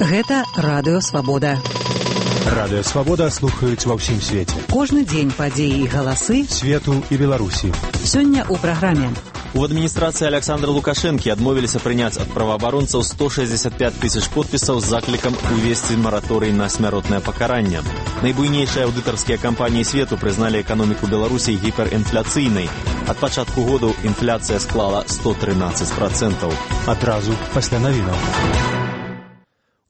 Гэта Радыё Свабода. Радыё Свабода слухаюць ва ўсім свеце. Кожны дзень падзеі і галасы свету і Беларусі. Сёння ў праграме. У адміністрацыі Александра Лукашэнкі адмовіліся прыняць ад праваабаронцаў 165 тысяч подпісаў з заклікам увесці мараторый на смяротнае пакаранне. Найбуйнейшыя аўдытарскія кампаніі свету прызналі эканоміку Беларусі гіперінфляцыйнай. Ад пачатку году інфляцыя склала 113%. Адразу пасля навінаў.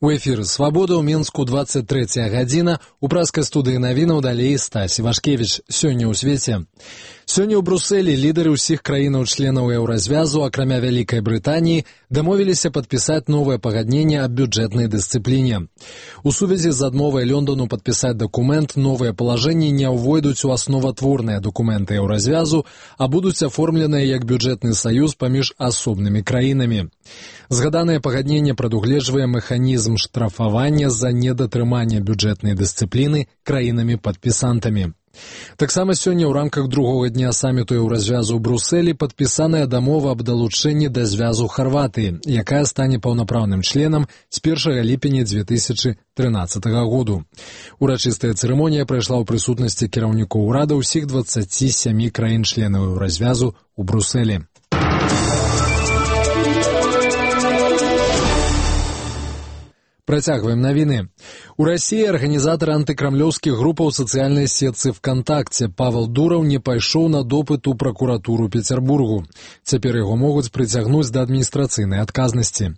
У эфіры «Свабода» ў Мінску 23 гадзіна. У праскай студыі навінаў далей Стась Івашкевіч. Сёння ў свеце. Сёння ў Брусэлі лідары ўсіх краінаў-членаў еўразвязу, акрамя Вялікай Брытаніі, дамовіліся падпісаць новае пагадненне аб бюджэтнай дысцыпліне. У сувязі з адмовай Лондону падпісаць дакумент, новыя палажэнні не ўвойдуць у асноватворныя дакументы еўразвязу, а будуць аформленыя як бюджэтны саюз паміж асобнымі краінамі. Згаданае пагадненне прадугледжвае механізм штрафавання за недатрыманне бюджэтнай дысцыпліны краінамі-падпісантамі. Таксама сёння ў рамках другога дня саміту еўразвязу ў Брусэлі падпісаная дамова аб далучэнні да звязу Харватыі, якая стане паўнапраўным членам з 1 ліпеня 2013 году. Урачыстая цырымонія прайшла ў прысутнасці кіраўнікоў урада ўсіх 27 краін-членаў еўразвязу ў Брусэлі. Працягваем навіны. У Расіі арганізатар антыкрамлёўскіх групаў сацыяльнай сетцы ВКонтакце Павел Дураў не пайшоў на допыт у пракуратуру Петербургу. Цяпер яго могуць прыцягнуць да адміністрацыйнай адказнасці.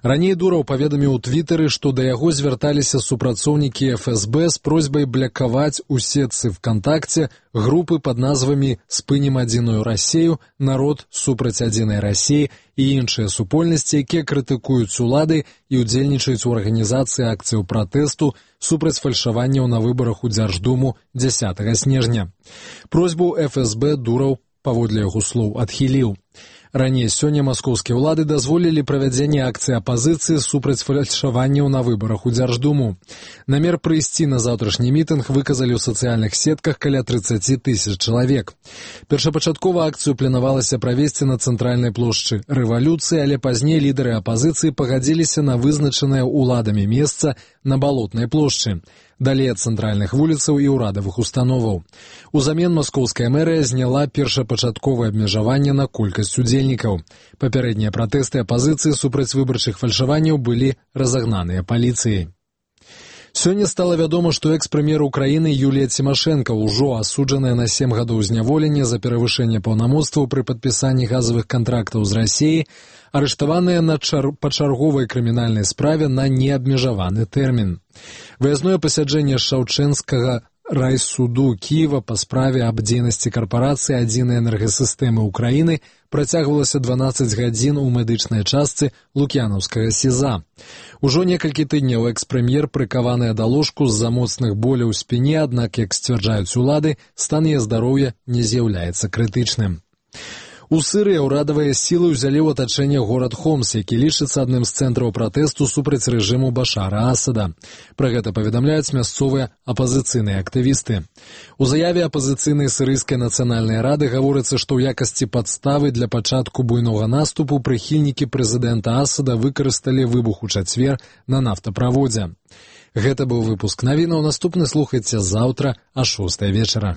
Раней Дураў паведаміў у Твітары, што да яго звярталіся супрацоўнікі ФСБ з просьбай блакаваць у сетцы ВКонтакце групы пад назвамі «Спынім адзіную Расею», «Народ супраць адзінай Расіі» і іншыя супольнасці, якія крытыкуюць улады і ўдзельнічаюць у арганізацыі акцыяў пратэсту супраць фальшаванняў на выбарах у Дзярждуму 10 снежня. Просьбу ФСБ Дураў, паводле яго слоў, адхіліў. Раней сёння маскоўскія ўлады дазволілі правядзенне акцыі апазіцыі супраць фальшаванняў на выбарах у Дзярждуму. Намер прыйсці на заўтрашні мітынг выказалі ў сацыяльных сетках каля 30 тысяч чалавек. Першапачаткова акцыю планавалася правесці на цэнтральнай плошчы Рэвалюцыі, але пазней лідары апазіцыі пагадзіліся на вызначанае ўладамі месца на Балотнай плошчы, далей ад цэнтральных вуліцаў і ўрадавых установаў. Узамен маскоўская мэрыя зняла першапачатковае абмежаванне на колькасць удзельнікаў. Папярэднія пратэсты апазіцыі супраць выбарчых фальшаванняў былі разагнаныя паліцыяй. Сёння стала вядома, што экс-прэм'ер Украіны Юлія Цімашэнка, ужо асуджаная на 7 гадоў зняволення за перавышэнне паўнамоцтваў пры падпісанні газавых кантрактаў з Расіяй, арыштаваная на пачарговай крымінальнай справе на неабмежаваны тэрмін. Выязное пасяджэнне Шаўчэнскага райсуду Кіева па справе аб дзейнасці карпорацыі «Адзінай энергасістэмы Украіны» працягвалася 12 гадзін у медычнай частцы Лук'янаўскага СІЗА. Ужо некалькі тыдняў экс-прэм'ер прыкаваная да ложку з-за моцных боляў у спіне, аднак, як сцвярджаюць улады, стан яе здароўя не з'яўляецца крытычным. У Сырыі ўрадавыя сілы ўзялі ў атачэнне горад Хомс, які лічыцца адным з цэнтраў пратэсту супраць рэжыму Башара Асада. Пра гэта паведамляюць мясцовыя апазіцыйныя актывісты. У заяве апазіцыйнай сірыйскай нацыянальнай рады гаворыцца, што ў якасці падставы для пачатку буйнога наступу прыхільнікі прэзідэнта Асада выкарысталі выбух у чацвер на нафтаправодзе. Гэта быў выпуск навінаў. Наступны слухайце заўтра а 6 вечара.